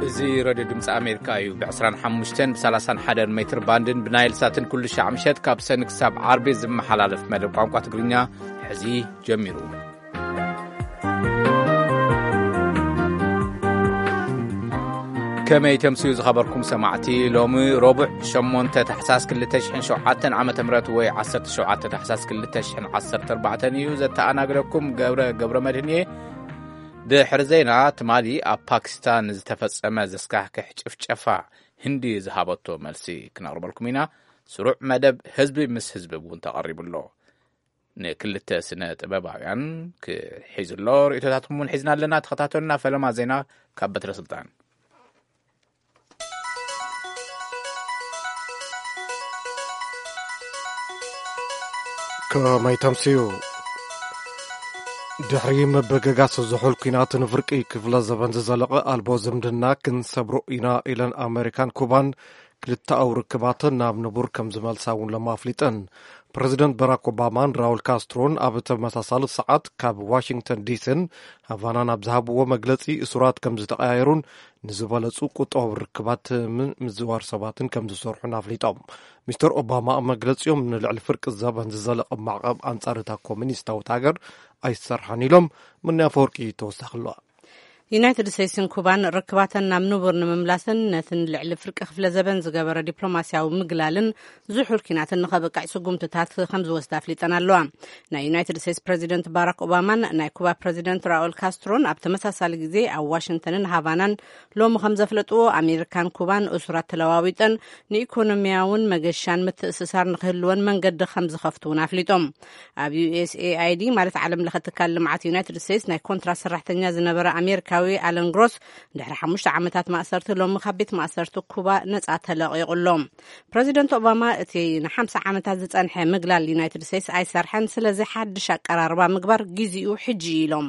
እዚ ሬድዮ ድምፂ ኣሜሪካ እዩ። ብ ዕስራን ሓሙሽተን፣ ብ ሰላሳን ሓደን ሜትር ባንድን ብናይል ሳትን ኩሉ ሻዕ ምሸት ካብ ሰኒ ክሳብ ዓርቢ ዝመሓላለፍ መደብ ቋንቋ ትግርኛ ሕዚ ጀሚሩ። ከመይ ተምስዩ ዝኸበርኩም ሰማዕቲ፣ ሎሚ ረቡዕ ሸሞንተ ታሕሳስ ክልተ ሽሕን ሸውዓተን ዓመተ ምህረት ወይ ዓሰርተ ሸውዓተ ታሕሳስ ክልተ ሽሕን ዓሰርተ ኣርባዕተን እዩ። ዘተኣናግደኩም ገብረ ገብረ መድህን እየ። ድሕሪ ዜና፣ ትማሊ ኣብ ፓኪስታን ዝተፈጸመ ዘስካሕክሕ ጭፍጨፋ ህንዲ ዝሃበቶ መልሲ ክነቕርበልኩም ኢና። ስሩዕ መደብ ህዝቢ ምስ ህዝቢ እውን ተቐሪቡ ኣሎ። ንክልተ ስነ ጥበባውያን ክሒዙ ኣሎ። ርእይቶታትኩም እውን ሒዝና ኣለና። ተኸታተሉና። ፈለማ ዜና ካብ በትረ ስልጣን። ከመይ ተምስዩ? ድሕሪ ምብግጋስ ዝሑል ኲናት ንፍርቂ ክፍለ ዘበን ዝዘለቐ ኣልቦ ዝምድና ክንሰብሮ ኢና ኢለን ኣመሪካን ኩባን ክልተኣዊ ርክባተን ናብ ንቡር ከም ዝመልሳ እውን ሎሚ ኣፍሊጠን። ፕረዚደንት ባራክ ኦባማን ራውል ካስትሮን ኣብ ተመሳሳሊ ሰዓት ካብ ዋሽንግተን ዲሲን ሃቫናን ኣብ ዝሃብዎ መግለጺ እሱራት ከም ዝተቐያየሩን ንዝበለጹ ቁጠባዊ ርክባት ምዝዋር ሰባትን ከም ዝሰርሑን ኣፍሊጦም። ሚስተር ኦባማ ኣብ መግለጺኦም ንልዕሊ ፍርቂ ዘበን ዝዘለቐ ማዕቐብ ኣንጻር እታ ኮሚኒስታዊት ሃገር ኣይሰርሓን ኢሎም። ምንያ ፈወርቂ ተወሳኺ ኣለዋ። ዩናይትድ ስቴትስን ኩባን ርክባተን ናብ ንቡር ንምምላስን ነትን ልዕሊ ፍርቂ ክፍለ ዘበን ዝገበረ ዲፕሎማስያዊ ምግላልን ዝሑል ኲናትን ንኸብቅዕ ስጉምትታት ከም ዝወስዳ ኣፍሊጠን ኣለዋ። ናይ ዩናይትድ ስቴትስ ፕረዚደንት ባራክ ኦባማን ናይ ኩባ ፕረዚደንት ራኡል ካስትሮን ኣብ ተመሳሳሊ ግዜ ኣብ ዋሽንግተንን ሃቫናን ሎሚ ከም ዘፍለጥዎ፣ ኣሜሪካን ኩባን እሱራት ተለዋዊጠን ንኢኮኖሚያውን መገሻን ምትእስሳር ንክህልወን መንገዲ ከም ዝኸፍቱ እውን ኣፍሊጦም። ኣብ ዩ ኤስ ኤ ኣይ ዲ ማለት ዓለም ለኸ ትካል ልምዓት ዩናይትድ ስቴትስ ናይ ኮንትራት ሰራሕተኛ ዝነበረ ኣሜሪካዊ ኣለን ግሮስ ድሕሪ ሓሙሽተ ዓመታት ማእሰርቲ ሎሚ ካብ ቤት ማእሰርቲ ኩባ ነጻ ተለቒቑ ኣሎ። ፕረዚደንት ኦባማ እቲ ንሓምሳ ዓመታት ዝጸንሐ ምግላል ዩናይትድ ስቴትስ ኣይሰርሐን፣ ስለዚ ሓድሽ ኣቀራርባ ምግባር ግዚኡ ሕጂ እዩ ኢሎም።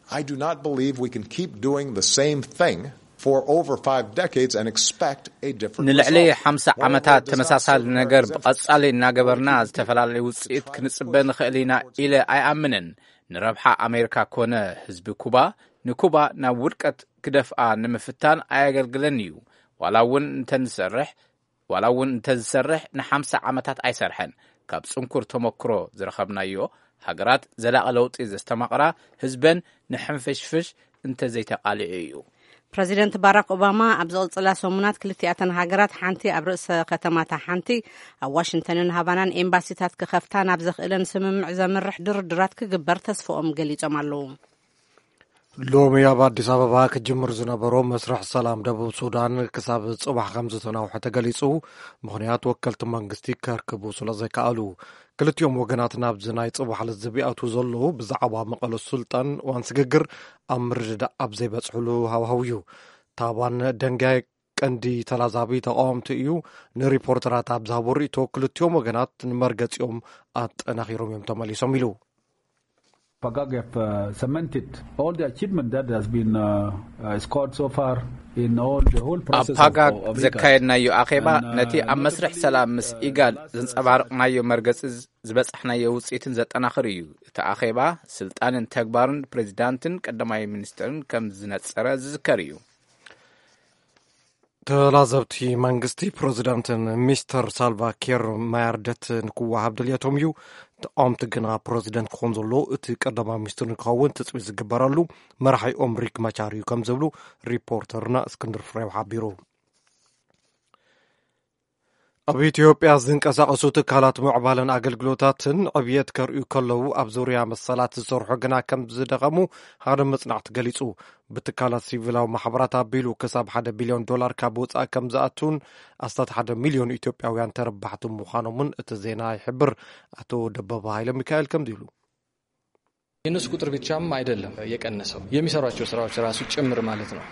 I do not believe we can keep doing the same thing for over five decades and expect a different ንልዕሊ result. ሓምሳ ዓመታት ተመሳሳሊ ነገር ብቐጻሊ እናገበርና ዝተፈላለዩ ውጽኢት ክንጽበ ንኽእል ኢና ኢለ ኣይኣምንን። ንረብሓ ኣሜሪካ ኮነ ህዝቢ ኩባ፣ ንኩባ ናብ ውድቀት ክደፍኣ ንምፍታን ኣየገልግለን እዩ። ዋላ እውን እንተንሰርሕ ዋላ እውን እንተዝሰርሕ ንሓምሳ ዓመታት ኣይሰርሐን። ካብ ጽንኩር ተመክሮ ዝረኸብናዮ፣ ሃገራት ዘላቒ ለውጢ ዘስተማቕራ ህዝበን ንሕንፍሽፍሽ እንተዘይተቓሊዑ እዩ። ፕረዚደንት ባራክ ኦባማ ኣብ ዝቕጽላ ሰሙናት ክልቲኣተን ሃገራት ሓንቲ ኣብ ርእሰ ከተማታ ሓንቲ ኣብ ዋሽንግተንን ሃቫናን ኤምባሲታት ክኸፍታ ናብ ዘኽእለን ስምምዕ ዘምርሕ ድርድራት ክግበር ተስፍኦም ገሊጾም ኣለዉ። ሎሚ ኣብ ኣዲስ ኣበባ ክጅምር ዝነበሮ መስርሕ ሰላም ደቡብ ሱዳን ክሳብ ጽባሕ ከም ዝተናውሐ ተገሊጹ። ምኽንያት ወከልቲ መንግስቲ ከርክቡ ስለ ዘይከኣሉ። ክልቲኦም ወገናት ናብዚ ናይ ጽባሕ ልዝብ ይኣትዉ ዘለዉ ብዛዕባ መቐለ ሱልጣን እዋን ስግግር ኣብ ምርድዳእ ኣብ ዘይበጽሕሉ ሃዋህው እዩ። ታባን ደንጋይ ቀንዲ ተላዛቢ ተቃወምቲ እዩ። ንሪፖርተራት ኣብ ዝሃቦ ርእይቶ ክልቲኦም ወገናት ንመርገጺኦም ኣጠናኺሮም እዮም ተመሊሶም ኢሉ። Pagak have uh, cemented all the achievement that has been uh, uh, scored so far in all the whole ኣብ process of, ፓጋክ of IGAD. ዘካየድናዮ ኣኼባ And, uh, ነቲ ኣብ መስርሕ ሰላም ምስ ኢጋድ ዘንጸባረቕናዮ መርገጺ ዝበጻሕናዮ ውጽኢትን ዘጠናኽር እዩ። እቲ ኣኼባ ስልጣንን ተግባርን ፕሬዚዳንትን ቀዳማይ ሚኒስትርን ከም ዝነጸረ ዝዝከር እዩ። ተላዘብቲ መንግስቲ ፕረዚዳንትን ሚስተር ሳልቫ ኪር ማያርደት ንክወሃብ ድልየቶም እዩ። ተቃወምቲ ግና ፕረዚደንት ክኾን ዘሎ እቲ ቀዳማይ ሚኒስትር ንክኸውን ትጽቢት ዝግበረሉ መራሒኦም ሪክ ማቻር እዩ ከም ዝብሉ ሪፖርተርና እስክንድር ፍሬው ሓቢሩ። ኣብ ኢትዮጵያ ዝንቀሳቐሱ ትካላት ምዕባለን ኣገልግሎታትን ዕብየት ከርእዩ ከለዉ፣ ኣብ ዙርያ መሰላት ዝሰርሑ ግና ከም ዝደኸሙ ሓደ መጽናዕቲ ገሊጹ። ብትካላት ሲቪላዊ ማሕበራት ኣቢሉ ክሳብ ሓደ ቢልዮን ዶላር ካብ ወጻኢ ከም ዝኣቱን ኣስታት ሓደ ሚልዮን ኢትዮጵያውያን ተረባሕቲ ምዃኖምን እቲ ዜና ይሕብር። ኣቶ ደበበ ሃይለ ሚካኤል ከምዚ ኢሉ። የእነሱ ቁጥር ብቻም አይደለም የቀነሰው፣ የሚሰሯቸው ስራዎች ራሱ ጭምር ማለት ነው።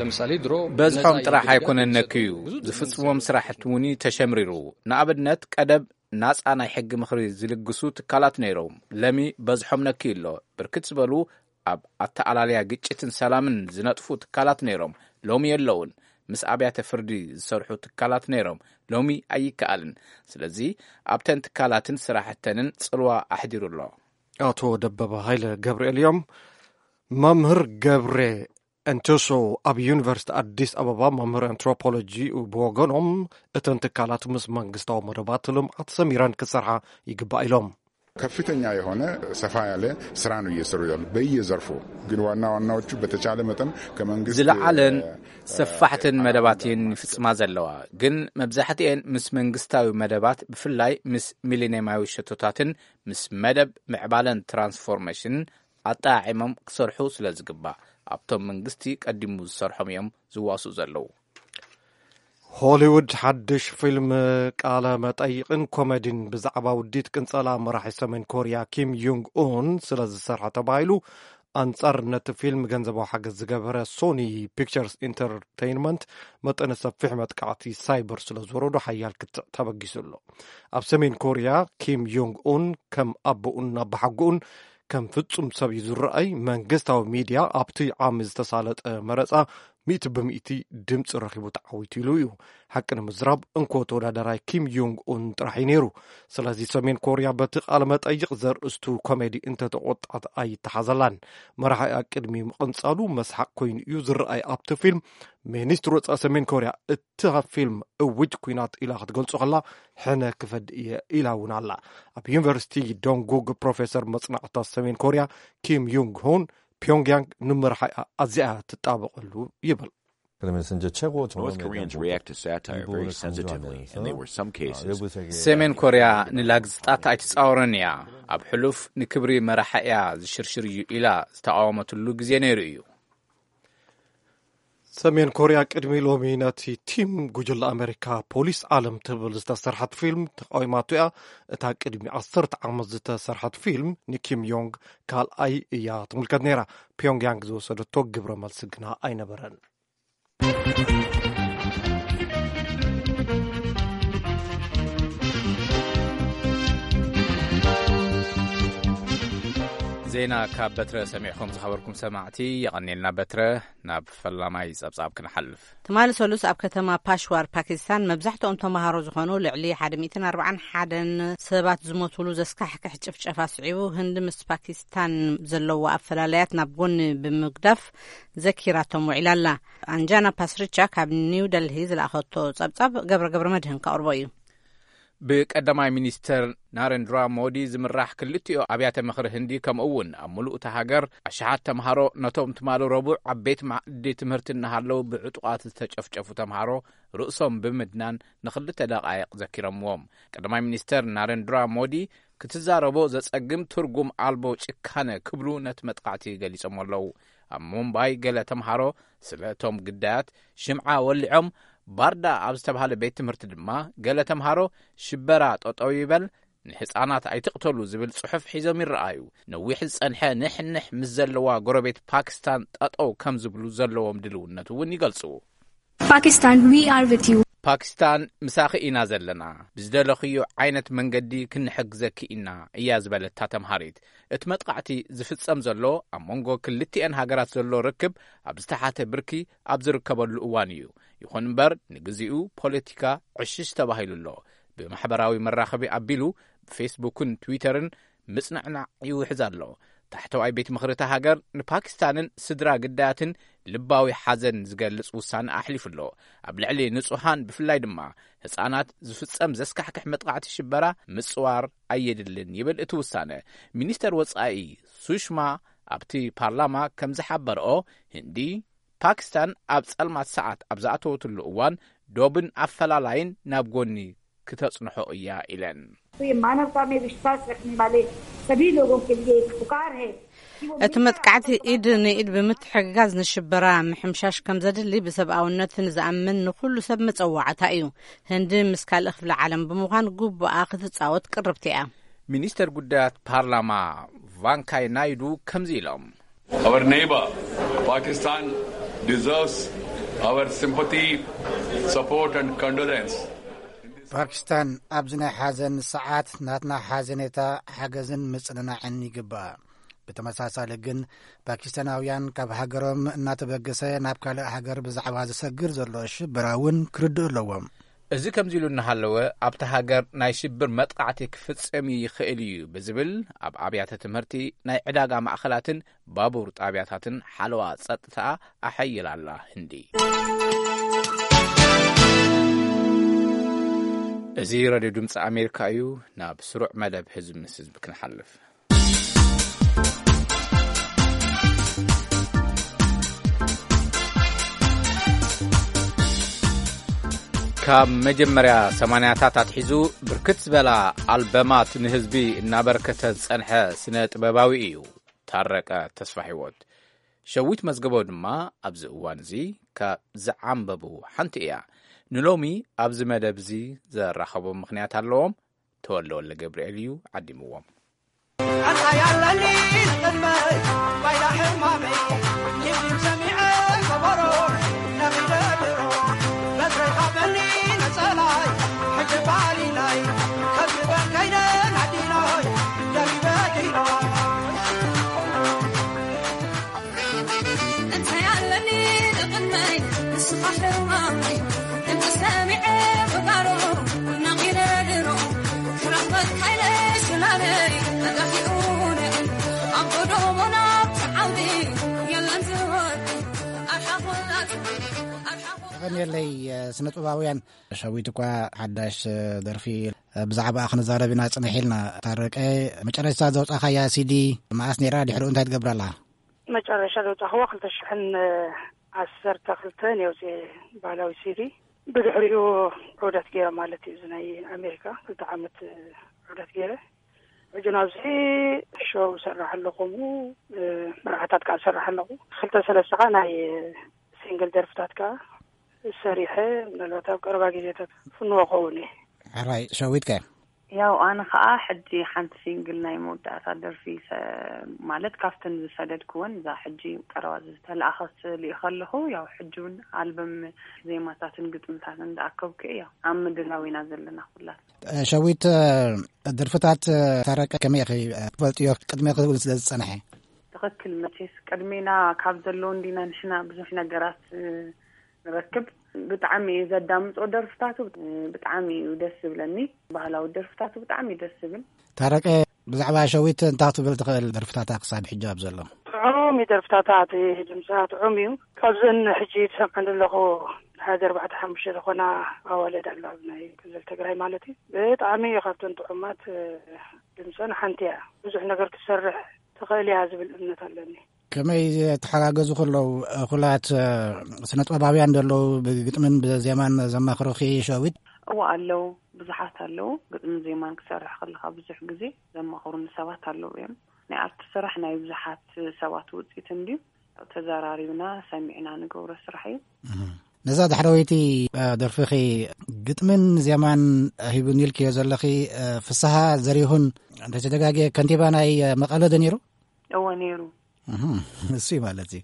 ለምሳሌ ድሮ በዝሖም ጥራሕ ኣይኮነን ነክዩ፣ ዝፍጽሞም ስራሕቲ እውን ተሸምሪሩ። ንኣብነት ቀደም ናጻ ናይ ሕጊ ምኽሪ ዝልግሱ ትካላት ነይሮም። ለሚ በዝሖም ነክዩ ኣሎ። ብርክት ዝበሉ ኣብ ኣተኣላልያ ግጭትን ሰላምን ዝነጥፉ ትካላት ነይሮም። ሎሚ የለውን። ምስ ኣብያተ ፍርዲ ዝሰርሑ ትካላት ነይሮም። ሎሚ ኣይከኣልን። ስለዚ ኣብተን ትካላትን ስራሕተንን ጽልዋ ኣሕዲሩ ኣሎ። ኣቶ ደበበ ሃይለ ገብርኤል እዮም። መምህር ገብረ እንተሶ ኣብ ዩኒቨርሲቲ ኣዲስ ኣበባ መምህር ኣንትሮፖሎጂ ብወገኖም፣ እተን ትካላት ምስ መንግስታዊ መደባት ልምዓት ሰሚረን ክሰርሓ ይግባእ ኢሎም። ከፍተኛ የሆነ ሰፋ ያለ ስራ ነው እየሰሩ ያሉ በየዘርፉ። ግን ዋና ዋናዎቹ በተቻለ መጠን ከመንግስት ዝለዓለን ሰፋሕትን መደባት እየን ይፍጽማ ዘለዋ። ግን መብዛሕትኤን ምስ መንግስታዊ መደባት፣ ብፍላይ ምስ ሚሊኒየማዊ ሸቶታትን ምስ መደብ ምዕባለን ትራንስፎርሜሽንን ኣጠዓዒሞም ክሰርሑ ስለ ዝግባእ፣ ኣብቶም መንግስቲ ቀዲሙ ዝሰርሖም እዮም ዝዋስኡ ዘለዉ። ሆሊውድ ሓድሽ ፊልም ቃለ መጠይቕን ኮሜዲን ብዛዕባ ውዲት ቅንጸላ መራሒ ሰሜን ኮርያ ኪም ዩንግ ኡን ስለ ዝሰርሐ ተባሂሉ፣ ኣንጻር ነቲ ፊልም ገንዘባዊ ሓገዝ ዝገበረ ሶኒ ፒክቸርስ ኢንተርቴይንመንት፣ መጠነ ሰፊሕ መጥቃዕቲ ሳይበር ስለ ዝወረዶ ሓያል ክትዕ ተበጊሱ ኣሎ። ኣብ ሰሜን ኮርያ ኪም ዩንግ ኡን ከም ኣቦኡን ኣባሓጎኡን ከም ፍጹም ሰብ እዩ ዝረኣይ። መንግስታዊ ሚድያ ኣብቲ ዓሚ ዝተሳለጠ መረጻ ሚእቲ ብምእቲ ድምፂ ረኺቡ ተዓዊቱ ኢሉ እዩ። ሓቂ ንምዝራብ እንኮ ተወዳደራይ ኪም ዩንግ ኡን ጥራሕ እዩ ነይሩ። ስለዚ ሰሜን ኮርያ በቲ ቃለ መጠይቕ ዘርእስቱ ኮሜዲ እንተተቆጣት ኣይተሓዘላን። መራሒኣ ቅድሚ ምቕንጻሉ መስሓቅ ኮይኑ እዩ ዝረኣይ። ኣብቲ ፊልም ሚኒስትር ወፃኢ ሰሜን ኮርያ እቲ ፊልም እውጅ ኩናት ኢላ ክትገልጾ ከላ ሕነ ክፈድ እየ ኢላ እውን ኣላ። ኣብ ዩኒቨርሲቲ ዶንጉግ ፕሮፌሰር መጽናዕታት ሰሜን ኮርያ ኪም ዩንግ ሆን ፒዮንግያንግ ንመራሒኣ ኣዝያ ትጣበቐሉ ይብል። North Koreans react to satire very sensitively, and there were some cases. ሰሜን ኮርያ ንላግዝጣት ኣይትጻወርን እያ። ኣብ ሕሉፍ ንክብሪ መራሒ እያ ዝሽርሽር እዩ ኢላ ዝተቃወመትሉ ግዜ ነይሩ እዩ። ሰሜን ኮርያ ቅድሚ ሎሚ ነቲ ቲም ጉጅለ ኣሜሪካ ፖሊስ ዓለም ትብል ዝተሰርሐት ፊልም ተቃዊማቶ እያ። እታ ቅድሚ ዓሰርተ ዓመት ዝተሰርሐት ፊልም ንኪም ዮንግ ካልኣይ እያ ትምልከት ነይራ። ፒዮንግያንግ ዝወሰደቶ ግብረ መልሲ ግና ኣይነበረን። ዜና ካብ በትረ ሰሚዕኩም ዝኸበርኩም ሰማዕቲ የቐኔልና። በትረ፣ ናብ ፈላማይ ጸብጻብ ክንሓልፍ። ትማሊ ሰሉስ ኣብ ከተማ ፓሽዋር ፓኪስታን መብዛሕትኦም ተምሃሮ ዝኾኑ ልዕሊ ሓደ ሚእትን ኣርባዓን ሓደን ሰባት ዝሞቱሉ ዘስካሕክሕ ጭፍጨፋ ስዒቡ፣ ህንዲ ምስ ፓኪስታን ዘለዎ ኣፈላለያት ናብ ጎኒ ብምግዳፍ ዘኪራቶም ውዒላ ኣላ። ኣንጃና ፓስሪቻ ካብ ኒው ደልሂ ዝለኣኸቶ ጸብጻብ ገብረ ገብረ መድህን ከቕርቦ እዩ። ብቀዳማይ ሚኒስተር ናረንድራ ሞዲ ዝምራሕ ክልቲኦ ኣብያተ ምኽሪ ህንዲ፣ ከምኡ እውን ኣብ ምሉእ እታ ሃገር ኣሽሓት ተምሃሮ ነቶም ትማሊ ረቡዕ ኣብ ቤት ማዕዲ ትምህርቲ እናሃለዉ ብዕጡቓት ዝተጨፍጨፉ ተምሃሮ ርእሶም ብምድናን ንኽልተ ደቓይቕ ዘኪሮምዎም። ቀዳማይ ሚኒስተር ናረንድራ ሞዲ ክትዛረቦ ዘጸግም ትርጉም ኣልቦ ጭካነ ክብሉ ነቲ መጥቃዕቲ ገሊጾም ኣለዉ። ኣብ ሙምባይ ገለ ተምሃሮ ስለ እቶም ግዳያት ሽምዓ ወሊዖም፣ ባርዳ ኣብ ዝተባህለ ቤት ትምህርቲ ድማ ገለ ተምሃሮ ሽበራ ጠጠው ይበል፣ ንህፃናት ኣይትቕተሉ ዝብል ጽሑፍ ሒዞም ይረኣዩ። ነዊሕ ዝጸንሐ ንሕንሕ ምስ ዘለዋ ጎረቤት ፓኪስታን ጠጠው ከም ዝብሉ ዘለዎም ድልውነት እውን ይገልጹ። Pakistan, we are with you. ፓኪስታን ምሳኺ ኢና ዘለና፣ ብዝደለኽዮ ዓይነት መንገዲ ክንሕግዘኪ ኢና እያ ዝበለታ ተምሃሪት። እቲ መጥቃዕቲ ዝፍጸም ዘሎ ኣብ መንጎ ክልቲኤን ሃገራት ዘሎ ርክብ ኣብ ዝተሓተ ብርኪ ኣብ ዝርከበሉ እዋን እዩ። ይኹን እምበር ንግዚኡ ፖለቲካ ዕሽሽ ተባሂሉ ኣሎ። ብማሕበራዊ መራኸቢ ኣቢሉ ብፌስቡክን ትዊተርን ምጽንዕናዕ ይውሕዝ ኣሎ። ታሕተዋይ ቤት ምኽሪ እታ ሃገር ንፓኪስታንን ስድራ ግዳያትን ልባዊ ሓዘን ዝገልጽ ውሳነ ኣሕሊፉ ኣሎ። ኣብ ልዕሊ ንጹሃን ብፍላይ ድማ ህጻናት ዝፍጸም ዘስካሕክሕ መጥቃዕቲ ሽበራ ምጽዋር ኣየድልን ይብል እቲ ውሳነ። ሚኒስተር ወጻኢ ሱሽማ ኣብቲ ፓርላማ ከም ዝሓበርኦ፣ ህንዲ ፓኪስታን ኣብ ጸልማት ሰዓት ኣብ ዝኣተወትሉ እዋን ዶብን ኣፈላላይን ናብ ጎኒ ክተጽንሖ እያ ኢለን። तो ये मानवता में विश्वास रखने वाले सभी लोगों के लिए एक पुकार है कि वो እቲ መጥቃዕቲ ኢድ ንኢድ ብምትሕግጋዝ ንሽበራ ምሕምሻሽ ከም ዘድሊ ብሰብኣውነት ንዝኣምን ንኹሉ ሰብ መጸዋዕታ እዩ። ህንዲ ምስ ካልእ ክፍለ ዓለም ብምዃን ግቡኣ ክትጻወት ቅርብቲ እያ። ሚኒስተር ጉዳያት ፓርላማ ቫንካይ ናይዱ ከምዚ ኢሎም። Our neighbor, Pakistan, deserves our sympathy, support, and condolence. ፓኪስታን ኣብዚ ናይ ሓዘን ሰዓት ናትና ሓዘኔታ፣ ሓገዝን ምጽንናዕን ይግባእ። ብተመሳሳሊ ግን ፓኪስታናውያን ካብ ሃገሮም እናተበገሰ ናብ ካልእ ሃገር ብዛዕባ ዝሰግር ዘሎ ሽበራ እውን ክርድኡ ኣለዎም። እዚ ከምዚ ኢሉ እናሃለወ፣ ኣብታ ሃገር ናይ ሽብር መጥቃዕቲ ክፍጸም ይኽእል እዩ ብዝብል፣ ኣብ ኣብያተ ትምህርቲ፣ ናይ ዕዳጋ ማእኸላትን ባቡር ጣብያታትን ሓለዋ ጸጥታ ኣሐይላ ኣላ ህንዲ። እዚ ሬድዮ ድምፂ ኣሜሪካ እዩ። ናብ ስሩዕ መደብ ህዝቢ ምስ ህዝቢ ክንሓልፍ። ካብ መጀመርያ ሰማንያታት ኣትሒዙ ብርክት ዝበላ ኣልበማት ንህዝቢ እናበርከተ ዝጸንሐ ስነ ጥበባዊ እዩ ታረቀ ተስፋ ህይወት። ሸዊት መዝገቦ ድማ ኣብዚ እዋን እዚ ካብ ዝዓንበቡ ሓንቲ እያ። ንሎሚ ኣብዚ መደብ እዚ ዘራኸቦም ምኽንያት ኣለዎም። ተወልደ ወልደ ገብርኤል እዩ ዓዲምዎም። ኣንታ ያለኒ ንቕድመይ ባይዳ ሕማመይ፣ ኒብኒብ ሰሚዐ ከበሮ ነቒለ ድሮ፣ በትረይ ሃበኒ ነጸላይ፣ ሕጂ ባሊላይ፣ ከብበን ከይደ ናዲኖይ፣ ደሪበ ኪኖ። እንታይ ኣለኒ ንቕድመይ፣ ንስኻ ሕማመይ፣ ድምፂ ሰሚዐ ብጋሮ፣ ነቒለ ድሮ፣ ክረኽበካ ኢለ ሰላመይ፣ ጠፊኡ ንዕል፣ ኣብ ጎደቦ ናብቲ ዓውዲ፣ የለን ዝወዲ፣ ኣርሓ ኩላቱ፣ ኣርሓ ኩላቱ። የቐንየለይ፣ ስነ ጥበባውያን። ሸዊት እኳ ሓዳሽ ደርፊ ብዛዕባኣ ክንዛረብ ኢና ጽንሕ ኢልና። ታረቀ፣ መጨረሽታ ዘውጻኻያ ሲዲ መኣስ ነይራ? ድሕሪኡ እንታይ ትገብር ኣለኻ? መጨረሻ ዘውጻኽዋ ክልተ ሽሕን ዓሰርተ ክልተ ነውጽኤ ባህላዊ ሲዲ። ብድሕሪኡ ዑደት ገይረ ማለት እዩ። እዚ ናይ ኣሜሪካ ክልተ ዓመት ዑደት ገይረ። ሕጂ ናብዚ ሾው ሰራሕ ኣለኹ፣ እ፣ መርዓታት ከዓ ሰራሕ ኣለኹ። ክልተ ሰለስተ ከዓ ናይ ሲንግል ደርፍታት ከዓ ሰሪሐ፣ ምናልባት ኣብ ቀረባ ግዜታት ፍንዎ ከውን እየ። ሕራይ፣ ሸዊት ከ? ያው ኣነ ከዓ ሕጂ ሓንቲ ሲንግል ናይ መወዳእታ ደርፊ ሰ-፣ ማለት ካብተን ዝሰደድክወን እዛ ሕጂ ቀረባ ዝተላእኸት ልኢኸ ኣለኹ። ያው ሕጂ እውን ኣልበም ዜማታትን ግጥምታትን እንዳኣከብኩ እየ። ያው ኣብ ምድላው ኢና ዘለና ኩላት። ሸዊት፣ ደርፍታት ታረቀ ከመይ ኢኺ ትፈልጥዮ? ቅድሜኺ እውን ስለ ዝጸንሐ። ትኽክል። መቼስ ቅድሜና ካብ ዘለዉ እንዲና ንሕና ብዙሕ ነገራት ንረክብ። ብጣዕሚ እየ ዘዳምጾ ደርፍታቱ፣ ብጣዕሚ እዩ ደስ ዝብለኒ። ባህላዊ ደርፍታቱ ብጣዕሚ እዩ ደስ ዝብል። ታረቀ፣ ብዛዕባ ሸዊት እንታይ ክትብል ትኽእል? ደርፍታታ ክሳብ ሕጂ ኣብ ዘሎ። ጥዑም እዩ ደርፍታታ፣ እቲ ድምጻ ጥዑም እዩ። ካብዘን ሕጂ ዝሰምዐን ዘለኹ ሓደ ኣርባዕተ ሓሙሽተ ዝኾና ኣዋልድ ኣሎ ኣብ ናይ ክልል ትግራይ ማለት እዩ። ብጣዕሚ እዩ ካብተን ጥዑማት ድምጸን ሓንቲ እያ። ብዙሕ ነገር ክትሰርሕ ትኽእል እያ ዝብል እምነት ኣለኒ። ከመይ ተሓጋገዙ ከለዉ እኹላት ስነ ጥበባውያን ዘለዉ ብግጥምን ብዜማን ዘማኽሩኺ ሸዊት? እወ ኣለዉ፣ ብዙሓት ኣለዉ። ግጥምን ዜማን ክሰርሕ ከለኻ ብዙሕ ግዜ ዘማኽሩኒ ሰባት ኣለዉ እዮም። ናይ ኣርት ስራሕ ናይ ብዙሓት ሰባት ውፅኢት እንድዩ። ተዘራሪብና ሰሚዕና ንገብሮ ስራሕ እዩ። እህ። ነዛ ዳሕረወይቲ፣ እ፣ ደርፍኺ ግጥምን ዜማን ሂቡኒ ኢልክዮ ዘለኺ፣ እ፣ ፍስሃ ዘሪሁን እንተተጋግየ ከንቲባ ናይ፣ እ፣ መቐለ ዶ ነይሩ? እወ ነይሩ። እህ፣ እሱ እዩ ማለት እዩ።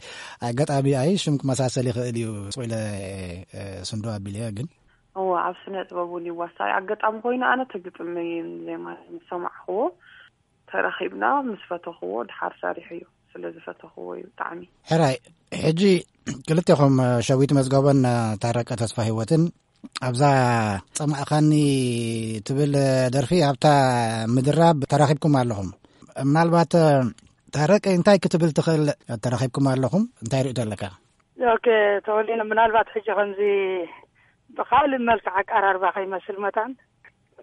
ኣጋጣሚ ኣይ ሽም ክመሳሰል ይኽእል እዩ። ስቕ ኢለ፣ እ፣ ስንዶ ኣቢለዮ ግን። እወ ኣብ ስነ ጥበብ እውን ይዋሳእ። ኣጋጣሚ ኮይኑ ኣነ እቲ ግጥሚ ዜማ ምስ ሰማዕኽዎ ተራኺብና ምስ ፈተኽዎ ድሓር ሰሪሐዮ። ስለ ዝፈተኽዎ እዩ ብጣዕሚ። ሕራይ፣ ሕጂ ክልቴኹም ሸዊት መዝገቦን ታረቀ ተስፋ ህይወትን ኣብዛ ጸማእኻኒ ትብል ደርፊ ኣብታ ምድራብ ተራኺብኩም ኣለኹም። ምናልባት ታረቀ እንታይ ክትብል ትኽእል? ተራኺብኩም ኣለኹም፣ እንታይ ርእይቶ ኣለካ? ኦኬ፣ ተወሊነ ምናልባት ሕጂ ከምዚ ብኻልእ መልክዕ ኣቀራርባ ከይመስል መታን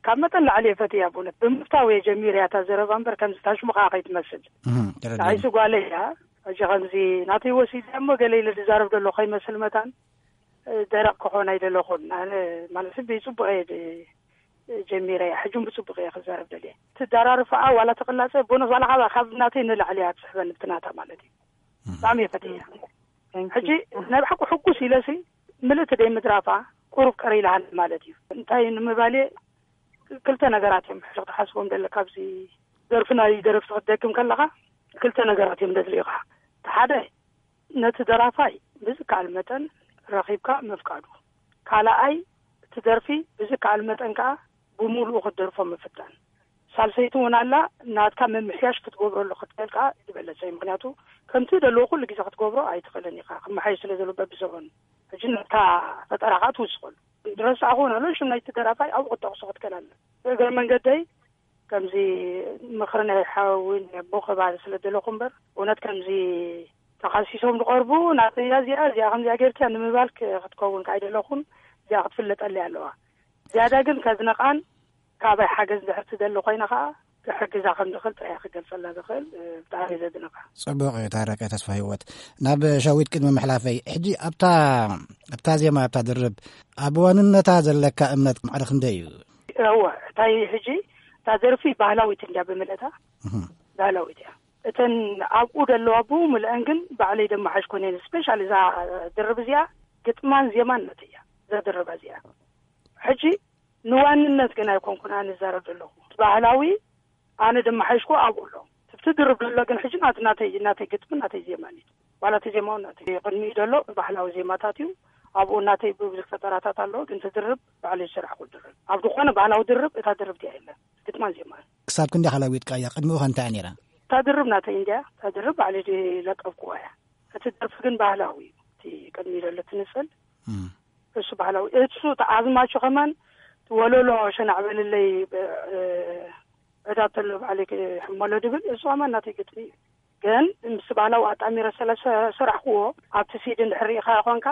ካብ መጠን ላዕሊ እየ ፈትያ ብእውነት። ብምፍታው እየ ጀሚረ እያ እታ ዘረባ እምበር ከምዚ ታሽሙ ከዓ ከይትመስል። እህ፣ ተረዲእኒ። ንዓይሲ ጓለይ እያ። ሕጂ ከምዚ ናተይ ወሲደ እሞ ገለ ኢለ ዝዛረብ ዘሎ ከይመስል መታን፣ እ፣ ደረቕ ክኾን ኣይደለኹን። ኣነ ማለት ብፅቡቅ እየ ጀ-፣ ጀሚረ እያ። ሕጂ እውን ብፅቡቅ እየ ክዛረብ ደልየ። ትደራርፋኣ ዋላ ትቕላፀ ቦኖስ ዋላ ካብ፣ ካብ ናተይ ንላዕሊ እያ ትስሕበኒ ብትናታ ማለት እዩ። እህ። ብጣዕሚ እየ ፈትያ። Thank you። ሕጂ ናይ ብሓቂ ሕጉስ ኢለሲ ምልእቲ ደይ ምድራፋ ቁሩብ ቀር ኢላሃኒ ማለት እዩ። እንታይ ንምባል እየ፣ ክልተ ነገራት እዮም ሕጂ ክትሓስቦም ደለካ። ኣብዚ ደርፊ ናይ ደረፍቲ ክትደግም ከለኻ ክልተ ነገራት እዮም ደድልዩኻ። እቲ ሓደ ነቲ ደራፋይ ብዝከኣል መጠን ረኺብካ ምፍቃዱ፣ ካልኣይ እቲ ደርፊ ብዝከኣል መጠን ከኣ ብምሉኡ ክትደርፎ ምፍታን። ሳልሰይቲ እውን ኣላ፣ ናትካ ምምሕያሽ ክትገብረሉ ክትክእል ከኣ ዝበለጸ እዩ። ምኽንያቱ ከምቲ ደለዎ ኩሉ ግዜ ክትገብሮ ኣይትኽእልን ኢኻ፣ ክመሓየሽ ስለ ዘለዎ በብዘበኑ። ሕጂ ናትካ ፈጠራ ከኣ ትውስኸሉ። ዝረሳዕኹ እውን ኣሎ። ሽም ናይቲ ደራፋይ ኣብኡ ክጠቕሶ ክትክእል ኣለ። ብእግረ መንገደይ ከምዚ ምኽሪ ናይ ሓዊ ናይ ኣቦ ከባቢ ስለ ዘለኹ እምበር፣ እውነት ከምዚ ተኻሲሶም ዝቐርቡ ናተያ እዚኣ፣ እዚኣ ከምዚኣ ጌርክያ ንምባል ክ-፣ ክትከውን ከ ኣይደለኹን። እዚኣ ክትፍለጠለይ ኣለዋ። ዝያዳ ግን ከዝነቓን ካባይ ሓገዝ ድሕር ትደሊ ኮይና ከኣ ክሕግዛ ከም ዝኽእል ጥራይ ክገልጸላ ዝኽእል፣ እ፣ ብጣዕሚ ዘድንቓ። ጽቡቕ እዩ ታረቀ ተስፋ ህይወት። ናብ ሸዊት ቅድሚ ምሕላፈይ፣ ሕጂ ኣብታ፣ ኣብታ ዜማ፣ ኣብታ ድርብ፣ ኣብ ዋንነታ ዘለካ እምነት ማዕረ ክንደይ እዩ? እወ፣ እንታይ ሕጂ እታ ደርፊ ባህላዊት እንድያ ብምልእታ፣ እህ። ባህላዊት እያ። እተን ኣብኡ ዘለዋ ብምልአን ግን ባዕለይ ደመሓሽ ኮነ እየን። ስፔሻል እዛ ድርብ እዚኣ ግጥማን ዜማን ናተይ እያ፣ እዛ ድርብ እዚኣ። ሕጂ ንዋንነት ግን ኣይኮንኩን ኣነ ዝዛረብ ዘለኹ። እቲ ባህላዊ ኣነ ደመሓሽኩ ኣብኡ ኣሎ። እቲ ድርብ ዘሎ ግን ሕጂ ናት-፣ ናተይ፣ ናተይ ግጥሚ ናተይ ዜማን እዩ። ዋላ እቲ ዜማውን ናተይ ቅድሚኡ ዘሎ ባህላዊ ዜማታት እዩ። ኣብኡ ናተይ ብዙሕ ፈጠራታት ኣለዎ፣ ግን እቲ ድርብ ባዕለይ ዝሰራሕኩ ድርብ። ኣብ ዝኾነ ባህላዊ ድርብ እታ ድርብ እቲኣ የለን። ግጥማን ዜማን። ክሳብ ክንደይ ሓላዊጥካ እያ? ቅድሚኡ ከ እንታይ እያ ነይራ? እታ ድርብ ናተይ እንድያ፣ እታ ድርብ ባዕለይ ለቀብኩዋ እያ። እቲ ደርፊ ግን ባህላዊ እዩ። እቲ ቅድሚኡ ዘሎ እቲ ንጽል፣ እም። እሱ ባህላዊ። እሱ እቲ ኣዝማቹ ከማን፣ እቲ ወለሎ ሸናዕ በልለይ፣ ብ-፣ እ፣ ዕዳ ተሎ ባዕለይ ክሕመሎ ድብል፣ እሱ ከማን ናተይ ግጥሚ እዩ። ግን ምስ ባህላዊ ኣጣሚረ ስለ ሰ-፣ ሰራሕክዎ፣ ኣብቲ ሲዲ እንድሕር ርኢኻ ኮንካ፣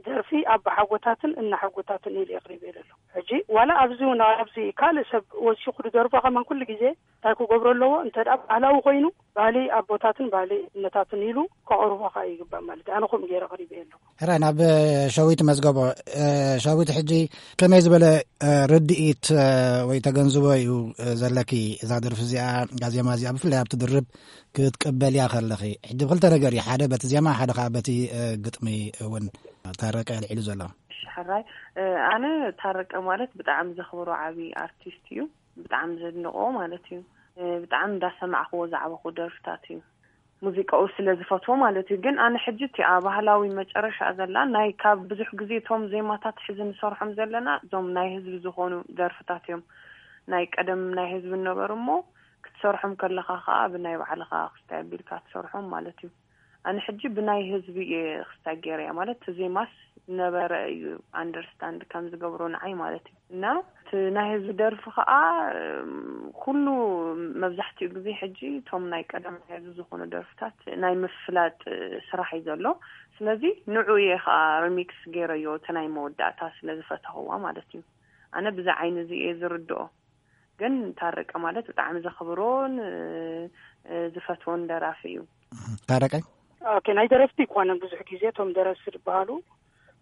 ደርፊ ኣባሓጎታትን እናሓጎታትን ኢሉ የቕሪበ ዘሎ። ሕጂ ዋላ ኣብዚ እውን ኣብዚ ካልእ ሰብ ወሲኹ ዝደርፎ ከማን ኩሉ ግዜ እንታይ ክገብሮ ኣለዎ? እንተ ደኣ ባህላዊ ኮይኑ፣ ባህሊ ኣቦታትን ባህሊ እነታትን ኢሉ ከቕርቦ ከኣ ይግባእ ማለት እዩ። ኣነ ከምኡ ገይረ ኣቕሪበ ኣለኹ። ሕራይ ናብ ሸዊት መዝገቦ። እ፣ ሸዊት፣ ሕጂ ከመይ ዝበለ፣ እ፣ ርድኢት፣ እ፣ ወይ ተገንዝቦ እዩ፣ እ፣ ዘለኪ እዛ ደርፊ እዚኣ፣ እዛ ዜማ እዚኣ ብፍላይ ኣብቲ ድርብ ክትቅበልያ ከለኺ? ሕጂ ብክልተ ነገር እዩ፣ ሓደ በቲ ዜማ፣ ሓደ ከኣ በቲ፣ እ፣ ግጥሚ እውን ታረቀ ኣልዒሉ ዘሎ። እሺ፣ ሕራይ፣ እ፣ ኣነ ታረቀ ማለት ብጣዕሚ ዘኽብሮ ዓቢ ኣርቲስት እዩ። ብጣዕሚ ዘድንቆ ማለት እዩ። እ፣ ብጣዕሚ እንዳሰማዕክዎ ዝዓበኹ ደርፍታት እዩ። ሙዚቃኡ ስለ ዝፈትዎ ማለት እዩ። ግን ኣነ ሕጂ እቲኣ ባህላዊ መጨረሻ ዘላ ናይ ካብ ብዙሕ ግዜ እቶም ዜማታት ሕዚ ንሰርሖም ዘለና እዞም ናይ ህዝቢ ዝኾኑ ደርፍታት እዮም። ናይ ቀደም ናይ ህዝቢ ነበሩ እሞ ክትሰርሖም ከለኻ ኸኣ ብናይ ባዕልኻ ክስታይ ኣቢልካ ትሰርሖም ማለት እዩ። ኣነ ሕጂ ብናይ ህዝቢ እየ ክስታይ ገይረያ ማለት እቲ ዜማስ ነበረ እዩ ኣንደርስታንድ ከም ዝገብሮ ንዓይ ማለት እዩ። እና እቲ ናይ ህዝቢ ደርፊ ኸዓ፣ እም፣ ኩሉ መብዛሕትኡ ግዜ ሕጂ እቶም ናይ ቀደም ናይ ህዝቢ ዝኾኑ ደርፍታት ናይ ምፍላጥ ስራሕ እዩ ዘሎ። ስለዚ ንዑ እየ ኸዓ ሪሚክስ ገይረዮ፣ እቲ ናይ መወዳእታ ስለ ዝፈተኽዋ ማለት እዩ። ኣነ ብዚ ዓይኒ እዚ እየ ዝርድኦ። ግን ታረቀ ማለት ብጣዕሚ ዘኽብሮን፣ እ፣ እ፣ ዝፈትዎን ደራፊ እዩ። ታረቀ? ኦኬ፣ ናይ ደረፍቲ ይኮነ ብዙሕ ግዜ እቶም ደረስቲ ዝበሃሉ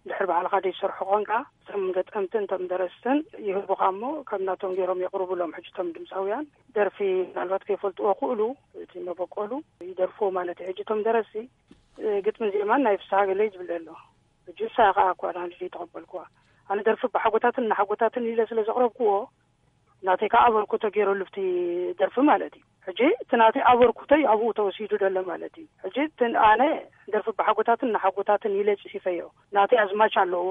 ድሕሪ ባዕልኻ ዘይሰርሑ ኮንካ፣ እቶም ገጠምትን እቶም ደረስትን ይህቡኻ እሞ፣ ከም ናቶም ገይሮም የቕርቡሎም። ሕጂ እቶም ድምፃውያን ደርፊ ምናልባት ከይፈልጥዎ ክእሉ፣ እቲ መበቆሉ ይደርፍዎ ማለት እዩ። ሕጂ እቶም ደረስቲ፣ እ፣ ግጥሚ ዜማን ናይ ፍስሃ ገለይ ዝብል ኣሎ። ሕጂ ንሳ ከኣ እኳ ንዓይ ዘይተቐበልክዋ። ኣነ ደርፊ ብሓጎታትን እናሓጎታትን ኢለ ስለ ዘቕረብክዎ፣ ናተይ ከኣ ኣበርክቶ ገይረሉ ብቲ ደርፊ ማለት እዩ። ሕጂ እቲ ናተይ ኣበርክቶይ ኣብኡ ተወሲዱ ዘሎ ማለት እዩ። ሕጂ እቲ ኣነ ደርፊ ብሓጎታትን ንሓጎታትን ኢለ ጽሒፈዮ። ናተይ ኣዝማች ኣለዎ፣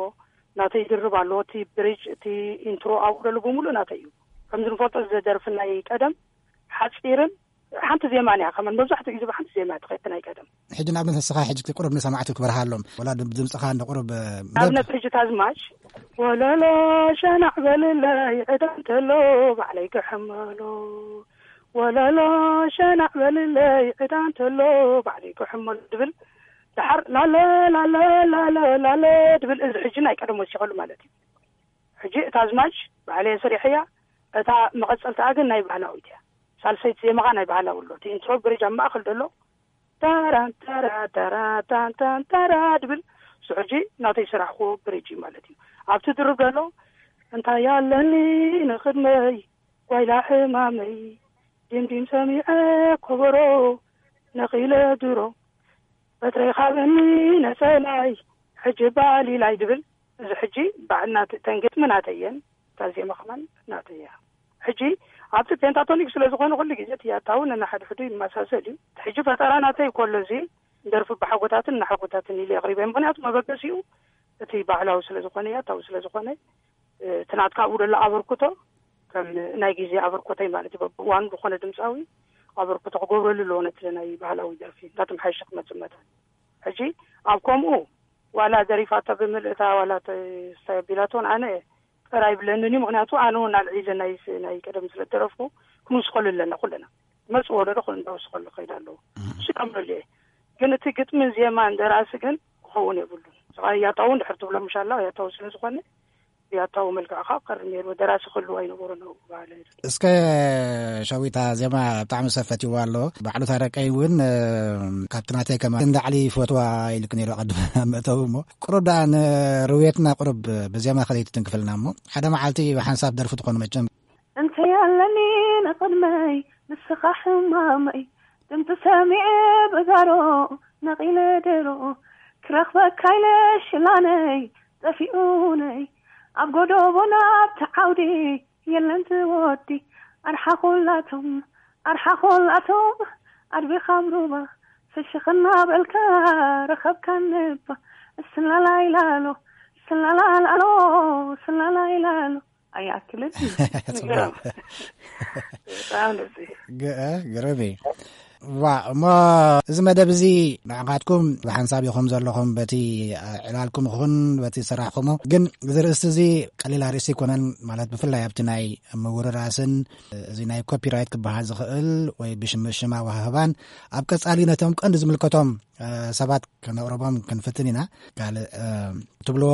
ናተይ ድርብ ኣለዎ። እቲ ብሪጅ፣ እቲ ኢንትሮ ኣብኡ ዘሎ ብምሉእ ናተይ እዩ። ከምዚ ንፈልጦ እዚ ደርፊ ናይ ቀደም ሓጺርን ሓንቲ ዜማ እያ። ከመን መብዛሕትኡ ግዜ ብሓንቲ ዜማ እያ ትኸይድ ናይ ቀደም። ሕጂ ንኣብነት ንስኻ ሕጂ ቁሩብ ንሰማዕቲ ክበርሃሎም፣ ወላ ድም-፣ ድምፅኻ እንደ ቁሩብ፣ እ፣ ንኣብነት ሕጂ ታዝማች፣ ወለሎ ሸናዕ በልለይ ዕዳ እንተሎ ባዕለይ ክሕመሎ፣ ወለሎ ሸናዕ በልለይ ዕዳ እንተሎ ባዕለይ ክሕመሎ ድብል፣ ደሓር ላለ፣ ላለ፣ ላለ፣ ላለ ድብል፣ እዚ ሕጂ ናይ ቀደም ወሲኸሉ ማለት እዩ። ሕጂ እታ ኣዝማች ባዕለይ ሰሪሐያ፣ እታ መቐጸልታኣ ግን ናይ ባህላዊት እያ። ሳልሰይቲ ዜማኻ ናይ ባህላዊ ኣሎ። እቲ ኢንትሮ ብሪጅ ኣብ ማእከል ዘሎ፣ ታራ፣ ታራ፣ ታራ፣ ታን፣ ታን፣ ታራ ድብል፣ እሱ ሕጂ ናተይ ስራሕክዎ ብሪጅ እዩ ማለት እዩ። ኣብቲ ድርብ ዘሎ፣ እንታይ ኣለኒ ንቕድመይ፣ ጓይላ ሕማመይ፣ ዲምዲም ሰሚዐ ኮበሮ፣ ነቒለ ድሮ፣ በትረይ ኻበኒ ነጸላይ፣ ሕጂ ባሊላይ ድብል፣ እዚ ሕጂ ባዕልና ት-፣ ተን ግጥሚ ናተይ እየን፣ እታ ዜማ ከማን ናተይ እያ። ሕጂ ኣብቲ ፔንታቶኒክ ስለ ዝኾነ ኩሉ ግዜ እቲ ያታውን ነንሓድሕዱ ይመሳሰል እዩ። እቲ ሕጂ ፈጠራ ናተይ ኮሎ እዚ ደርፊ ብሓጎታትን ንሓጎታትን ኢለ የቕሪበ። ምኽንያቱ መበገሲኡ እቲ ባህላዊ ስለ ዝኾነ፣ ያታዊ ስለ ዝኾነ፣ እ፣ እቲ ናትካ ኣብኡ ዘሎ ኣበርክቶ ከም ናይ ግዜ ኣበርክቶይ ማለት እዩ። በብእዋኑ ዝኾነ ድምፃዊ ኣበርክቶ ክገብረሉ ኣለዎ ነቲ ናይ ባህላዊ ደርፊ እንዳተመሓየሸ ክመጽእ መጠን። ሕጂ ኣብ ከምኡ ዋላ ደሪፋቶ ብምልእታ ዋላ ተ-፣ ስታይ ኣቢላቶ እውን ኣነ ተራ ይብለንን እዩ። ምክንያቱ ኣነ እውን ኣልዒለ ናይ ስ-፣ ናይ ቀደም ስለ ደረፍኩ ክንውስኸሉ ኣለና ኩለና። መጽእ ወለዶ ኩሉ እንዳወስኸሉ ከይድ ኣለዎ። እሱ ከምረሉ እየ። ግን እቲ ግጥምን ዜማን ደራሲ ግን ክኸውን የብሉን። ስኻ ያታው እንድሕር ትብሎ ምሻላ ያታው ስለ ዝኾነ ያታው መልክዕ ካብ ቀርብ ነይሩ። ደራሲ ክህልዎ ኣይነበሮ ነው ባህለ። እስከ ሸዊታ ዜማ ብጣዕሚ ሰብ ፈትይዋ ኣሎ። ባዕሉ ታረቀይ እውን፣ እ፣ ካብቲ ናተይ ከማ እንዳዕሊ ይፈትዋ ኢልክ ነይሩ ቅድም ኣብ መእተዊ እሞ፣ ቁሩብ ደኣ ንርውየትና ቁሩብ ብዜማ ከለይ ትትንክፍልና እሞ፣ ሓደ መዓልቲ ብሓንሳብ ደርፊ ትኾኑ መቸም። እንተ ያለኒ ንቕድመይ ንስኻ ሕማመይ፣ ድምፂ ሰሚዐ ብጋሮ ነቒለ ደሮ፣ ክረኽበካ ኢለ ሽላነይ ጠፊኡነይ፣ ኣብ ጎደቦና ኣብቲ ዓውዲ የለን ዝወዲ፣ ኣርሓ ኩላቶም ኣርሓ ኩላቶም ኣድቢኻም ሩባ፣ ፍሽኽ እናበልካ ረኸብካ ነባ፣ ስላላ ኢላሎ ስላላ ላሎ ስላላ ኢላሎ። ኣይኣክልን። ጽቡቕ። ብጣዕሚ ደስ ይብል። ግ-፣ እ፣ ግርም እዩ። ዋ፣ እሞ እዚ መደብ እዚ ንዓኻትኩም ብሓንሳብ ኢኹም ዘለኹም፣ በቲ፣ እ፣ ዕላልኩም ይኹን በቲ ስራሕኩሞ። ግን እዚ ርእስቲ እዚ ቀሊል ኣርእስቲ ኣይኮነን። ማለት ብፍላይ ኣብቲ ናይ ምውርራስን እዚ ናይ ኮፒራይት ክበሃል ዝኽእል ወይ ብሽም-፣ ሽም ኣወሃህባን ኣብ ቀጻሊ ነቶም ቀንዲ ዝምልከቶም፣ እ፣ ሰባት ከነቕርቦም ክንፍትን ኢና። ካልእ፣ እ፣ ትብልዎ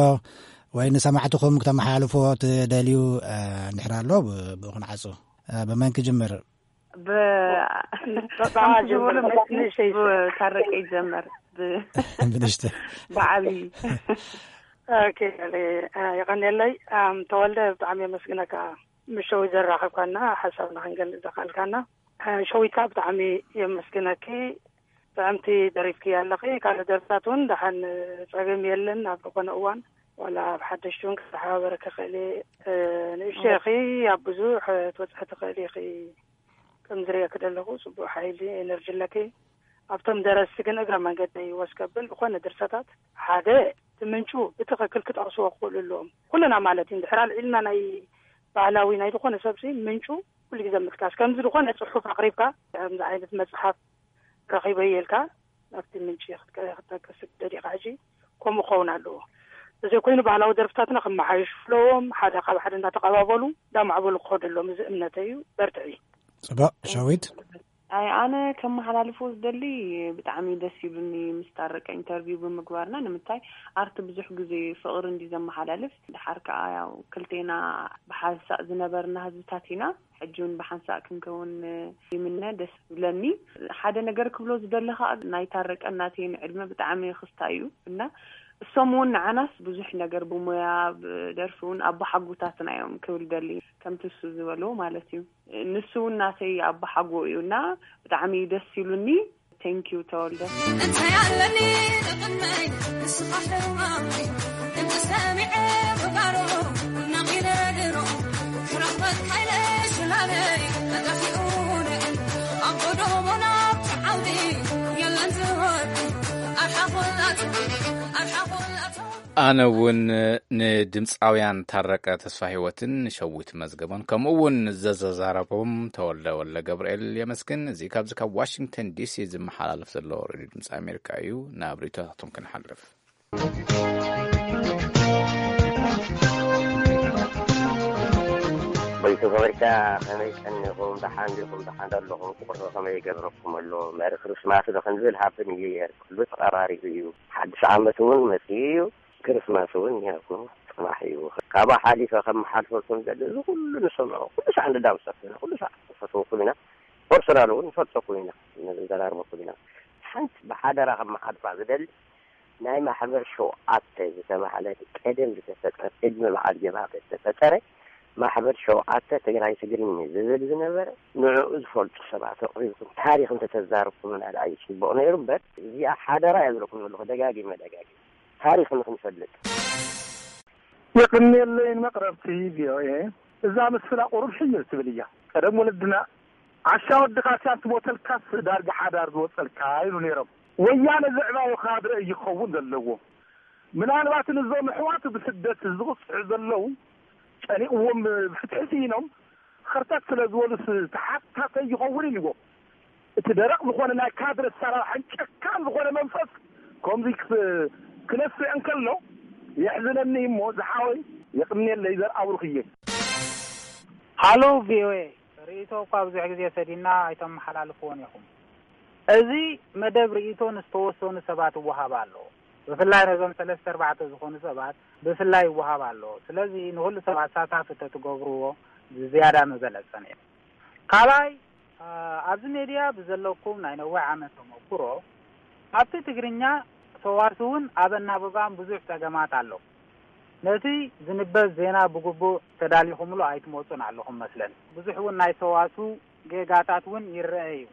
ወይ ንሰማዕትኹም ክተመሓላልፍዎ ትደልዩ፣ እ፣ እንድሕር ኣሎ ብ-፣ ብኡ ክንዓጹ። እ፣ ብመን ክጅምር? ብ-፣ ብ-፣ ብኣ ከምቲ ዝበሎ ጀምር፣ መስ-፣ ንእሽተይ። ብታረቀ ይጀመር። ብ-፣ ብንእሽተይ። ብዓብዪ። ኦኬ፣ እ፣ የቐንየለይ። ኣም፣ ተወልደ፣ ብጣዕሚ የመስግነካ። ምስ ሸዊት ዘራኸብካና፣ ሓሳብና ክንገልጽ ዘኽኣልካና። እ፣ ሸዊት ከኣ ብጣዕሚ የመስግነኪ። ጥዕምቲ ደሪፍክያ ኣለኺ። ካልእ ደርፍታት እውን ደሓን ጸገም የለን። ኣብ ዝኾነ እዋን ዋላ ኣብ ሓደሽቲ እውን ክተሓባበረኪ ክእል እየ። እ፣ ንእሽተይ ኢኺ፣ ኣብ ብዙሕ ትበጽሒ ትኽእሊ ኢኺ። ከም ዝርእየኪ ዘለኹ ጽቡቕ ሓይሊ ኤነርጂ ኣለኪ። ኣብቶም ደረስቲ ግን እግረ መንገደይ ወስ ከብል ዝኾነ ድርሰታት ሓደ እቲ ምንጩ ብትኽክል ክጠቕስዎ ክኽእሉ ኣለዎም። ኩልና ማለት እዩ። እንድሕር ኣልዒልና ናይ ባህላዊ ናይ ዝኾነ ሰብሲ ምንጩ ኩሉ ግዜ ምጥቃስ። ከምዚ ዝኾነ ጽሑፍ ኣቕሪብካ፣ ከምዚ ዓይነት መጽሓፍ ረኺበ ኢልካ ናብቲ ምንጪ ክትጠ-፣ ክትጠቅስ ትደሊኻ ሕጂ ከምኡ ክኸውን ኣለዎ። እንተዘይኮይኑ ባህላዊ ደርፍታትና ክመሓየሹ ኣለዎም። ሓደ ካብ ሓደ እንዳተቐባበሉ እንዳማዕበሉ ክኸዱ ኣለዎም። እዚ እምነተይ እዩ። በርትዒ። ጽቡቕ፣ ሸዊት። ኣይ፣ ኣነ ከመሓላልፎ ዝደሊ ብጣዕሚ ደስ ይብልኒ ምስ ታረቀ ኢንተርቪው ብምግባርና። ንምንታይ ኣርቲ ብዙሕ ግዜ ፍቕሪ እንዲ ዘመሓላልፍ፣ ድሓር ከኣ ያው ክልቴና ብሓንሳእ ዝነበርና ህዝብታት ኢና። ሕጂ እውን ብሓንሳእ ክንከውን ይምነ፣ ደስ ይብለኒ። ሓደ ነገር ክብሎ ዝደሊ ከኣ ናይ ታረቀን ናተይን ዕድመ ብጣዕሚ ክስታ እዩ እና እሶም እውን ንዓናስ ብዙሕ ነገር ብሞያ ብደርፊ እውን ኣቦሓጎታትና እዮም ክብል ደሊ፣ ከምቲ እሱ ዝበሎ ማለት እዩ። ንሱ እውን ናተይ ኣቦሓጎ እዩ እና ብጣዕሚ ደስ ኢሉኒ። ቴንኪዩ ተወልደ። እንታይ ኣለኒ ንቕድመይ ንስኻ ሕማመይ፣ ድምፂ ሰሚዐ ብጋሮ ነቒለ ድሮ፣ ክረኽበካ ኢለ ሽላለይ ተጠፊኡኒ፣ ኣብ ጎደቦ ናብቲ ዓውዲ የለን ዝወዲ፣ ኣርሓ ኩላቱ፣ ኣርሓ ኩላቱ። ኣነ እውን ንድምፃውያን ታረቀ ተስፋ ህይወትን ሸዊት መዝገቦን ከምኡ እውን ዘዘዛረቦም ተወልደ ወልደ ገብርኤል የመስግን። እዚ ካብዚ ካብ ዋሽንግተን ዲሲ ዝመሓላለፍ ዘሎ ሬድዮ ድምፂ ኣሜሪካ እዩ። ናብ ርእይቶታቶም ክንሓልፍ። ቮይስ ኦፍ ኣሜሪካ፣ ከመይ ቀኒኹም? ደሓን ዲኹም? ደሓን ዶ ኣለኹም? ቁርሲ ከመይ ይገብረኩም ኣሎ? መሪ ክርስማስ ዶ ክንብል ሃፕ ኒው ይር ኩሉ ተቐራሪቡ እዩ። ሓድሽ ዓመት እውን መፂኡ እዩ። ክርስማስ እውን እኒሀ እኮ፣ ፅባሕ እዩ። ካብኡ ሓሊፈ ከመሓልፈልኩም ዝደሊ፣ እዚ ኩሉ ንሰምዖ፣ ኩሉ ሰዓት ንዳምፀኩም ኢና፣ ኩሉ ሰዓት ንፈትወኩም ኢና። ፐርሶናል እውን ንፈልጠኩም ኢና፣ ንዘራርበኩም ኢና። ሓንቲ ብሓደራ ከመሓልፋ ዝደሊ፣ ናይ ማሕበር ሸውዓተ ዝተባህለ ቀደም ዝተፈጠረ፣ ቅድሚ በዓል ጀብሃ ዝተፈጠረ ማሕበር ሸውዓተ ትግራይ ትግርኛ ዝብል ዝነበረ፣ ንዕኡ ዝፈልጡ ሰባት ኣቕሪብኩም ታሪኽ እንተተዛረብኩምና ደኣ እዩ ጽቡቕ ነይሩ እምበር፣ እዚኣ ሓደራ እየ ዝብለኩም ዘለኹ፣ ደጋጊመ ደጋጊመ። ታሪኽ ንኽንፈልጥ። የቕንየለይን መቕረብቲ ቪኦኤ። እዛ ምስላ ቁሩብ ሕይል ትብል እያ። ቀደም ወለድና፣ "ዓሻ ወድኻ ሲያ ትሞተልካስ ዳርጋ ሓዳር ዝወጸልካ" ይብሉ ነይሮም። ወያነ ዘዕባዮ ካድረ ይኸውን ዘለዎ። ምናልባት ንዞም ኣሕዋቱ ብስደት ዝቕጽዑ ዘለዉ፣ ጨኒቕዎም ብፍትሒ ስኢኖም፣ ኸርተት ስለ ዝበሉስ ተሓታተይ ይኸውን ኢልዎ። እቲ ደረቕ ዝኾነ ናይ ካድረ ኣሰራርሓን ጨካን ዝኾነ መንፈስ ከምዚ ክስ-፣ ክነስዕ እንከሎ የሕዝነኒ እሞ ዝሓወይ፣ የቕንየለይ ዘርኣብሩኽ እየ። ሃሎ ቪኦኤ፣ ርእይቶ እኳ ብዙሕ ግዜ ሰዲና ኣይተመሓላልፍዎን ኢኹም። እዚ መደብ ርእይቶ ንዝተወሰኑ ሰባት ይወሃብ ኣሎ። ብፍላይ ነዞም ሰለስተ ኣርባዕተ ዝኾኑ ሰባት ብፍላይ ይወሃብ ኣሎ። ስለዚ ንኹሉ ሰባት ሳታፍ እንተትገብርዎ ዝያዳ ምበለጸ ነይሩ። ካልኣይ፣ ኣ፣ ኣብዚ ሜድያ ብዘለኩም ናይ ነዊሕ ዓመት ተመኩሮ፣ ኣብቲ ትግርኛ ሰዋስውን ኣብ ኣናብባን ብዙሕ ጸገማት ኣሎ። ነቲ ዝንበብ ዜና ብግቡእ ተዳሊኹምሉ ኣይትመጹን ኣለኹም መስለኒ። ብዙሕ እውን ናይ ሰዋስው ጌጋታት እውን ይረአ እዩ።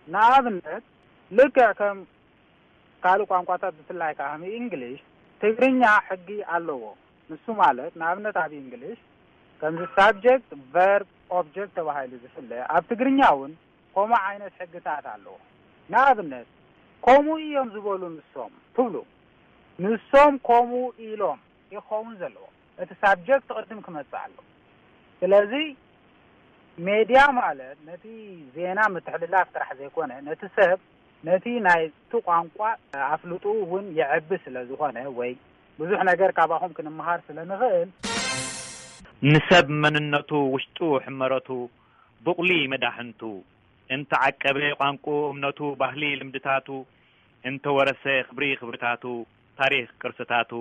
ንኣብነት፣ ልክዕ ከም ካልእ ቋንቋታት ብፍላይ ከኣ ከም እንግሊሽ፣ ትግርኛ ሕጊ ኣለዎ። ንሱ ማለት ንኣብነት ኣብ እንግሊሽ ከምዚ ሳብጀክት፣ ቨርብ፣ ኦብጀክት ተባሂሉ ዝፍለ፣ ኣብ ትግርኛ እውን ከምኡ ዓይነት ሕግታት ኣለዎ። ንኣብነት ከምኡ እዮም ዝበሉ ንሶም ትብሉ። ንሶም ከምኡ ኢሎም ይኸውን ዘለዎ። እቲ ሳብጀክት ቅድም ክመጽእ ኣለዎ። ስለዚ ሜድያ ማለት ነቲ ዜና ምትሕልላፍ ጥራሕ ዘይኮነ፣ ነቲ ሰብ፣ ነቲ ናይቲ ቋንቋ ኣፍልጥኡ እውን የዕቢ ስለ ዝኾነ፣ ወይ ብዙሕ ነገር ካባኹም ክንመሃር ስለ ንኽእል። ንሰብ መንነቱ፣ ውሽጡ፣ ሕመረቱ፣ ብቑሊ መዳሕንቱ፣ እንተዓቀበ ቋንቁ፣ እምነቱ፣ ባህሊ፣ ልምድታቱ፣ እንተወረሰ ክብሪ ክብርታቱ፣ ታሪኽ ቅርስታቱ፣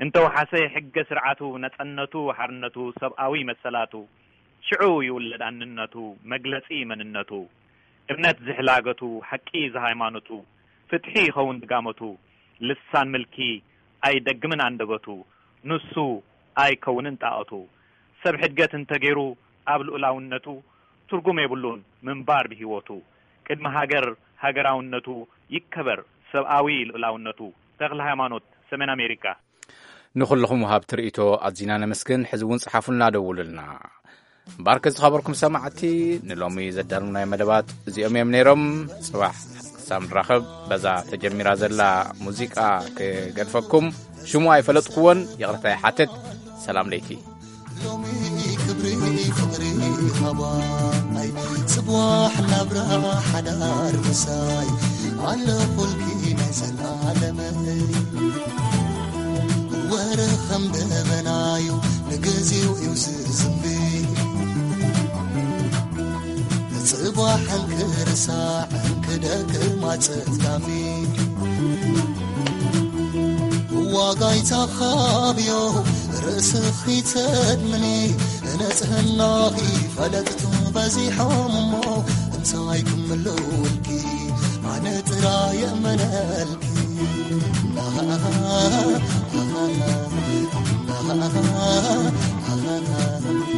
እንተወሓሰ ሕገ ስርዓቱ፣ ነጸነቱ፣ ሓርነቱ፣ ሰብኣዊ መሰላቱ፣ ሽዑ ይውለድ ኣንነቱ፣ መግለጺ መንነቱ፣ እምነት ዝሕላገቱ፣ ሓቂ ዝሃይማኖቱ፣ ፍትሒ ይኸውን ድጋመቱ፣ ልሳን ምልኪ ኣይደግምን ኣንደበቱ፣ ንሱ ኣይከውንን ጣኦቱ። ሰብ ሕድገት እንተገይሩ ኣብ ልኡላውነቱ፣ ትርጉም የብሉን ምንባር ብህይወቱ። ቅድሚ ሃገር ሃገራውነቱ ይከበር ሰብኣዊ ልኡላውነቱ። ተኽለ ሃይማኖት፣ ሰሜን ኣሜሪካ። ንኹልኹም ወሃብቲ ርእይቶ ኣዚና ነመስግን። ሕዚ እውን ጽሓፉልና፣ ደውሉልና። እምበኣርከ ዝኸበርኩም ሰማዕቲ፣ ንሎሚ ዘዳለናዮም መደባት እዚኦም እዮም ነይሮም። ጽባሕ ክሳብ ንራኸብ በዛ ተጀሚራ ዘላ ሙዚቃ ክገድፈኩም። ሽሙ ኣይፈለጥኩዎን፣ ይቕረታ ይሓትት። ሰላም ለይቲ። ሎሚ ክብሪ ፍቕሪ ሃባይ፣ ጽባሕ ናብራ ሓዳር ምሳይ፣ ኣለኹልኪ ናይ ዘላለመይ። ወረ ከም ደበናዩ ንግዜው እዩ ዝዝንቢ፣ ጽባሕ እንክርሳዕ እንክደክም ኣጸጋሚ። ዋጋ ይተኻብዮ ርእስኺ ተድምኒ፣ ንጽህናኺ ፈለጥቱ በዚሖም እሞ፣ እንታይ ክምልውልኪ ኣነ ጥራይ የእመነልኪ።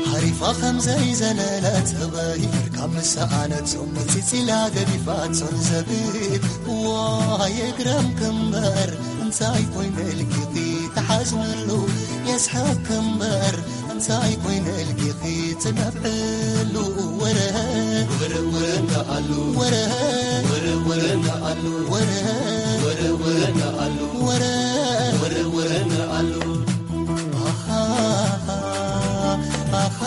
ሓሪፋ ከም ዘይዘለለት ህበይ፣ ካብ ምሰኣነቶም መጺጺላ ገዲፋቶን ዘብል። ዋይ የግረምኪ እምበር እንታይ ኮይነ ልኪኺ ትሓዝንሉ፣ የስሕቕኪ እምበር እንታይ ኮይነ ልኪኺ ትነብዕሉ። ወረ ወረ ወረ እንዳኣሉ፣ ወረ ወረ ወረ እንዳኣሉ፣ ወረ ወረ ወረ እንዳኣሉ፣ ወረ ወረ ወረ እንዳኣሉ። ኣኻኻ፣ ኣኻኻ፣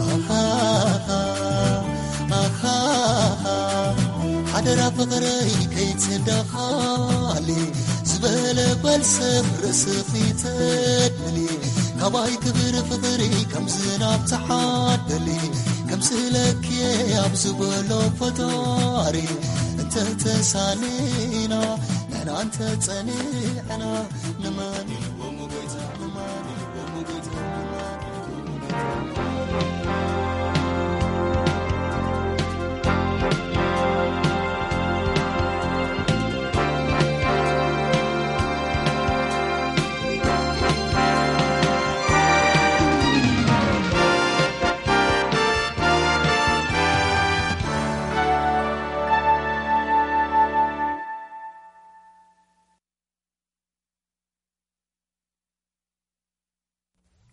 ኣኻኻ፣ ኣኻኻ፣ ሓደራ ፍቕረይ ከይትዳኻሊ፣ ዝበለ በል ሰብ ርእስኺ ተድሊ፣ ካባይ ክብሪ ፍቕሪ ከም ዝናብ ተሓደሊ፣ ከምስለኪ ኣብ ዝበሎ ፈጣሪ፣ እንተተሳኒና ንሕና እንተጸኒዕና፣ ንመን ኢልዎም ጎይታ፣ ንመን ኢልዎም ጎይታ፣ ንመን ኢልዎም ጎይታ።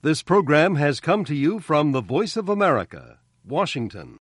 This program has come to you from the Voice of America, Washington.